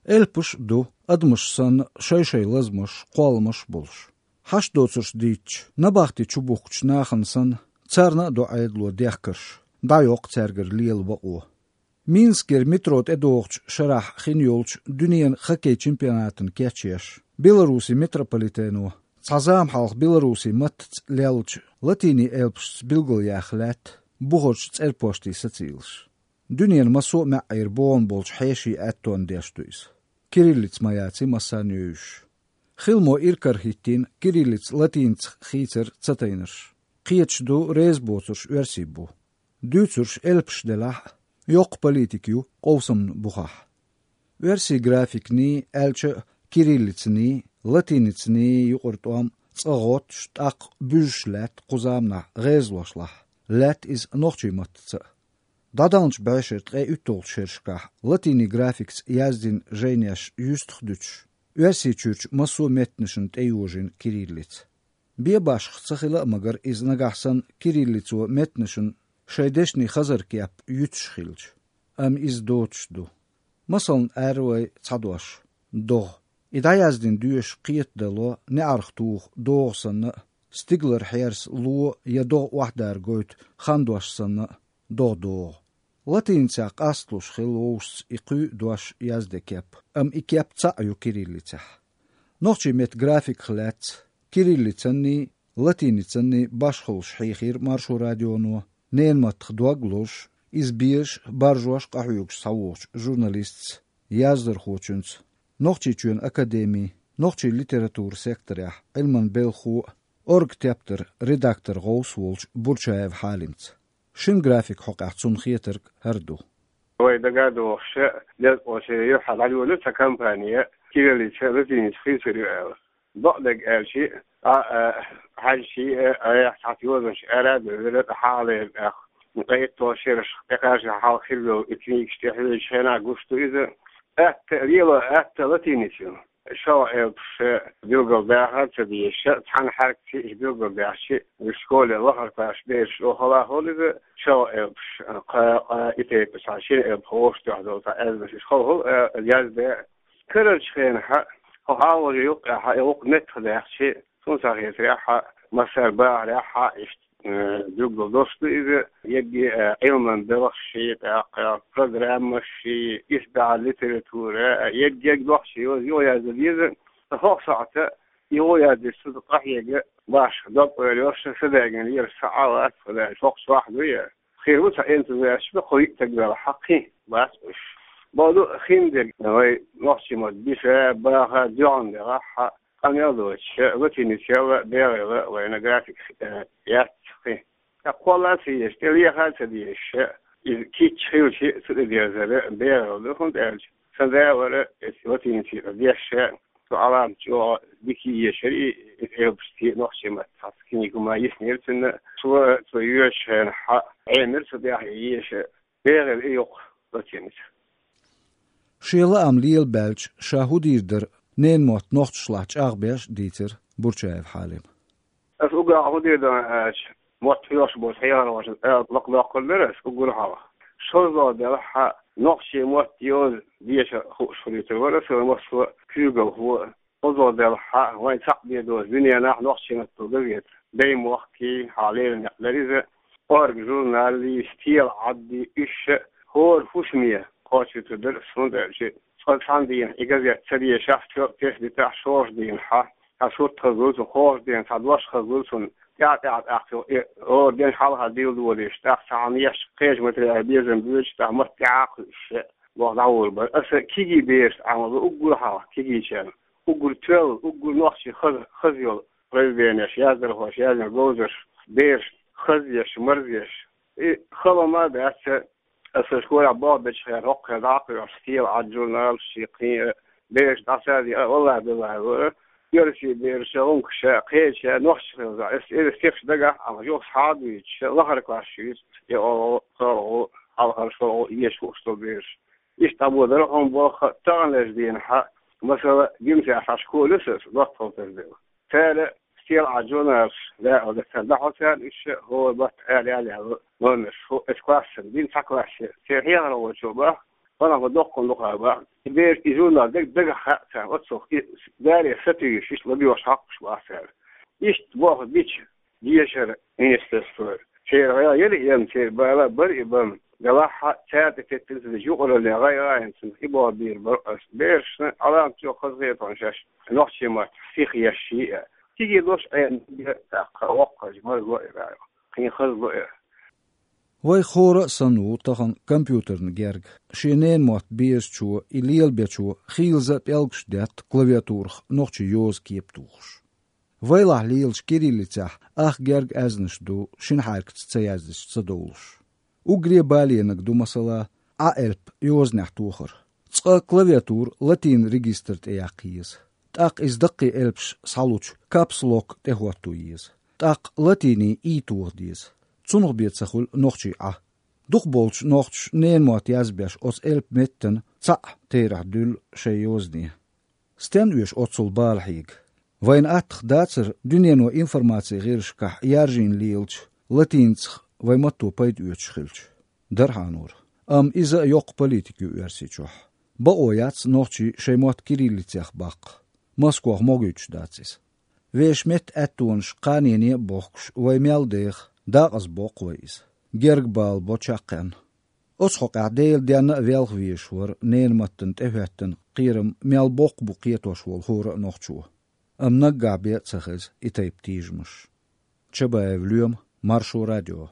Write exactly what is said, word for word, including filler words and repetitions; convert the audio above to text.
Элпаш а ду, адамаш санна, шай-шай лазамаш, кхолламаш а болуш. Хьашт доцурш дийцча, набахти чубухкучу нахана санна, царна а до Ӏедало дехкарш, дӀайоккху цаьргара лела бакъо. Минскера метро тӀедогӀучу шарахь хин йолчу дуьненан хоккей чемпионатана кечъеш, Беларусин метрополитено цхьа зама хьалха беларусин маттаца леллачу латинийн элпашца билгалъяьхна лаьтта бухарчу цӀерпошта сацийлаш. Дуьненан массо а маьӀӀера богӀун болчу хьешийн аьттонна деш ду иза. Кириллица ма яций массарна а йовзуш. Хила мо ира карахӀиттийна кириллица латинацах хийцар ца тайнарш. Кхеташ ду, реза боцурш оьрсий бу. Дуьйцурш элпаш делахь а, йоккха политика ю къовсамна бухахь. Оьрсийн графиканий, аьлча а кириллицаний, латиницаний юкъара тӀом цкъа гӀоттуш, тӀаккха буьзуш лаьтта кху заманахь гӀезалошлахь, лаьтта иза нохчийн маттаца а. ДӀадаханчу бӀешеран ткъе уьтталгӀачу шерашкахь латинийн графикаца яздина жайнеш юьстах дуьтуш, Оьрсийчуьрчу массо а меттанашна тӀейожийна кириллица. Бен башха ца хила а магар иза нагахь санна кириллицо меттанашна шайн дешнийн хазар кеп юьтуш хилча. Амма иза доцуш ду. Масална, ара вай цхьа дош: догӀа. И дӀаяздина доьшуш кхетадало неӀарх туху догӀа санна а, стигалара хьерса ло я догӀа охьадара гойту хандош санна а, догӀа-догӀа. Латиницех къасталуш хилла вовшашца и кхуьу дош язде кеп, амма и кеп цхьаъ ю кириллицехь. Нохчийн меттан графиках лаьцна кириллицанний, латиницанний башхаллаш хьийхира Маршо радионо, ненан маттах дог лозуш, иза безаш а, баржош а къахьоьгуш схьавогӀучу журналистца, яздархочуьнца, Нохчийчоьнан академин нохчийн литературан секторехь Ӏилманан белхахо а, «Оргтептаран» редакторан гӀовс а волчу Бурчаев Хьалимца. Шина графикан хьокъехь цунна хетарг хӀара ду. Вай дагадогӀуш, лезткъе ши юьххьехь дӀайолийра цхьа кампани, кириллица, латиница хийцар ю аьлла. Бакъдерг аьлча, а, а, хьаьжча, а, а, цхьацца йозанаш ара а девлира, тӀаккха хьалха тӀаккха ткъе итталгӀачу шерашкахь тӀекхаччалц хьалха хилла йолу и книгаш тӀехьоьжучу хенахь гуш ду иза. Атта, лело атта латиница ю. ШолгӀа элпаш билгалдахар ца дезаш, цхьана хьаьркачу иза билгалдаьхча, уьш школе лахара классерчу бераша охьалахьа хилла иза, шолгӀа элпаш, кхаа, кхаа, и тайпа цхьа шина элпах вовшахтоьхна долу цхьа аьзнаш, иза хала хилла, а, язде. Карарчу хенахь, хьо хьалхале юккъехь, и гӀуллакх меттахдаьккхича, суна схьахетарехь, массара бахарехь, иштта, э, билггал долуш ду иза, ерриге, э, Ӏилманан белхаш, тӀаккха программаш, исбаьхьа литература, э, ерриге нохчийн йоза юхаяздан деза, ткъа хӀокху сохьта и юхаяздан деза, цу къахьега башха дог-ойла йолуш, са дагийна лелаш ца Ӏа вац, хӀокху сохьта ду я. Хир ву цхьа энтузиасташ, кхо-йиъ стаг велахь, хьакхин бац уьш. Боху ду, хиндерг вай нохчийн мотт биша, баха, доьгӀна делахь, къамел доцуш, латиницел а, бегӀел а вайна графика, э, яц кхин. ТӀаккха кхолла а ца езаш, тӀе леха а ца дезаш, иза кийча хилча, цу тӀе дерзар бегӀел ду, хӀунда аьлча сан да вара, иза латиницех деш, цу Ӏаламат чӀогӀа дика ешара и, и элпашций нохчийн маттахь, цхьацца книга хӀума йиснера цунна, цо, цо йоьшучу хенахь, Ӏемира цу тӀехь и еша, бегӀел и йоккха латиница. Шен лаам лелабаьлча, ша хӀун дийр дара ненан мотт нохчашлахь чӀагӀбеш а дийцира Бурчаев Хьалима. Аса уггар хӀун дийр ду аьлча, мотт хьоьхуш болчу хьехархошна ала лакхадоккхур дара аса уггар хьалха. ШозлагӀа делахь, нохчийн мотт йоза деша хууш хуьлуьйтур вара аса, массо а куьйгалхо а. ХӀуза делахь, вайн цхьаъ бен доцу дуьненахь нохчийн маттахь газета «Даймохк» хьалха лерина некъ дара иза, «Орга» журналий, «Стелан Ӏаддий», уьш а хӀора хӀусаме кхочуьйтур дара аса, хӀунда аьлча цкъа цхьана дийнахь и газета ца дешахь, тоьпа тесна дитахь, шолгӀачу дийнахь, цхьа сурт хазлура цунна, кхоалгӀачу дийнахь цхьа дош хазлура цунна, тӀаьхьа-тӀаьхьа тӀаккха и хӀора ден хьалха дилладолийша, тӀаккха цхьа хьан еш кхечу материалан безам боьдуш, тӀаккха матта тӀаьхьа а кхуьуш, боху дӀагӀур бара. Аса кегий берашна Ӏамал бара уггар хьалха, кегийчарна. Уггар тоьлла, уггар нохчийн хаза, хаза йолу произведенеш, яздархоша яздина говзарш, берашна хазъеш, марзъеш. И хала хӀума а дац, аса школехь болх бечу хенахь хӀокху хенахь дӀа а кхоьхьуш, «Стелан Ӏад» журнал, шен кхин а, бераш дӀасадийна, а, валлахӀи-биллахӀи, вара оьрсийн бераша, гӀумкаша, кхеча нохчийн хаза. Аса, аса стихаш дагахь а, амма юха схьа а дуьйцуш, лахара класс шуьйца, я олу, солгӀу, хьалхара солгӀу, еша хууш долу бераш. Иштта дӀабодара хьуна болх а, таханлерчу дийнахь, масала, Гимсехь цхьа школа ю сан, доттагӀал тасадевлла. Цара «Стелан Ӏад» журналаш дакъа дацара, дӀахьо царна уьш, хӀора баттахь аьлла, аьлла, аьлла номерш, хӀу, оцу классана дина цхьа классе. Церан хьехархочо боху, Панахо доккхун дукха баха. И бераш и журнал дег дагахь хаьа царна, оццул и даре сатуьйсуш, иштта лабеш хьокхуш баха цара. Иштта боху бича дешара министерство. Церан гӀайгӀа яра и, церан бала бара и бан. Делахь а цаьрца теттина ца деза юкъараллин гӀайгӀа а хӀинца и боху бийр бара ас. Берашна Ӏаламат йо хазахетон шаьш. Нохчийн мотт сиха еш шиъ а. Циге дош Ӏена бе тӀаккха воккхача марзло а ваьлла. Кхин хазло а. Вай хӀора а санна ву тахана компьютерна герга. Шен ненан мотт безачо, и лелабечо хийлаза а пӀелгаш детта клавиатурах нохчийн йоза кепа тухуш. Вайлахь лелачу кириллицехь ах герга аьзнаш ду, шина хьаьркаца ца яздича ца довлуш. Уггаре баленаг ду, масала, Ӏа элп йозанехь тохар. Цкъа клавиатура латин регистр тӀе яккха еза. ТӀаккха иза даккхий элпаш схьалучу капслок тӀе хӀотто еза. ТӀаккха латинийн и тоха деза. Цунах бен ца хуьлу нохчийн Ӏа. Дукхахболчу нохчаша ненан мотт язбеш оцу элп меттана цхьаъ терахь дуьллу шайн йозане. Стенна оьшу оццул бала хьега? Вайна аттах дацара дуьнено информацин гӀирсашкахь яржийна лелачу латиницах вайн матто пайда оьцуш хилча? Дара хьан нур. Амма иза а йоккха политика ю Оьрсийчохь. Бакъо яц нохчий шайн мотт кириллицех баккха. Москох могуьйтуш дац иза. Вешан меттан аьттонаш кханене а бохкуш, вай мел деха, дакъаза боккху вай иза. Герга бала бо чаккхенна. Оцу хьокъехь Делан денна а велха везаш вара ненан маттана тӀехӀоьттина кхерам мел боккха бу кхетош волу хӀора а нохчо. Амма наггахь бен а ца хеза и тайпа тийжамаш. Чабаев Лоьма, Маршо радио.